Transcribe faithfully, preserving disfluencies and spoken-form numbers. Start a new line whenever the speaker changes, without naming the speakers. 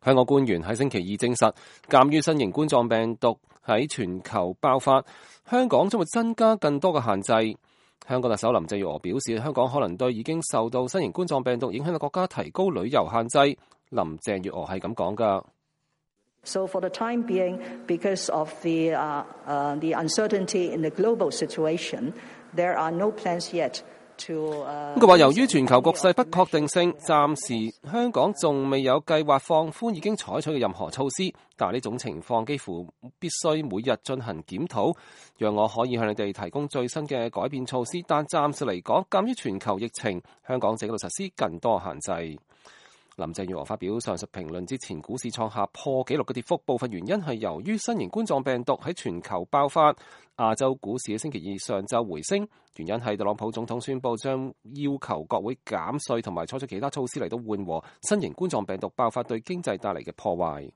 香港官員喺星期二證實，鑑於新型冠狀病毒喺全球爆發，香港將會增加更多嘅限制。香港特首林鄭月娥表示，香港可能對已經受到新型冠狀病毒影響嘅國家提高旅遊限制。林鄭月娥係咁講㗎。
So for the time being, because of the, uh, uh, the uncertainty in the global situation, there are no plans yet to, uh,
佢話由於全球局勢不確定性，暫時香港仲未有計劃放寬已經採取嘅任何措施，但係呢種情況幾乎必須每日進行檢討，讓我可以向你哋提供最新嘅改變措施。但暫時嚟講，鑑於全球疫情，香港正喺度實施更多限制。林鄭月娥發表上述評論之前，股市創下破紀錄嘅跌幅，部分原因係由於新型冠狀病毒喺全球爆發。亞洲股市喺星期二上晝回升，原因係特朗普總統宣布將要求國會減稅同埋採取其他措施嚟到緩和新型冠狀病毒爆發對經濟帶嚟嘅破壞。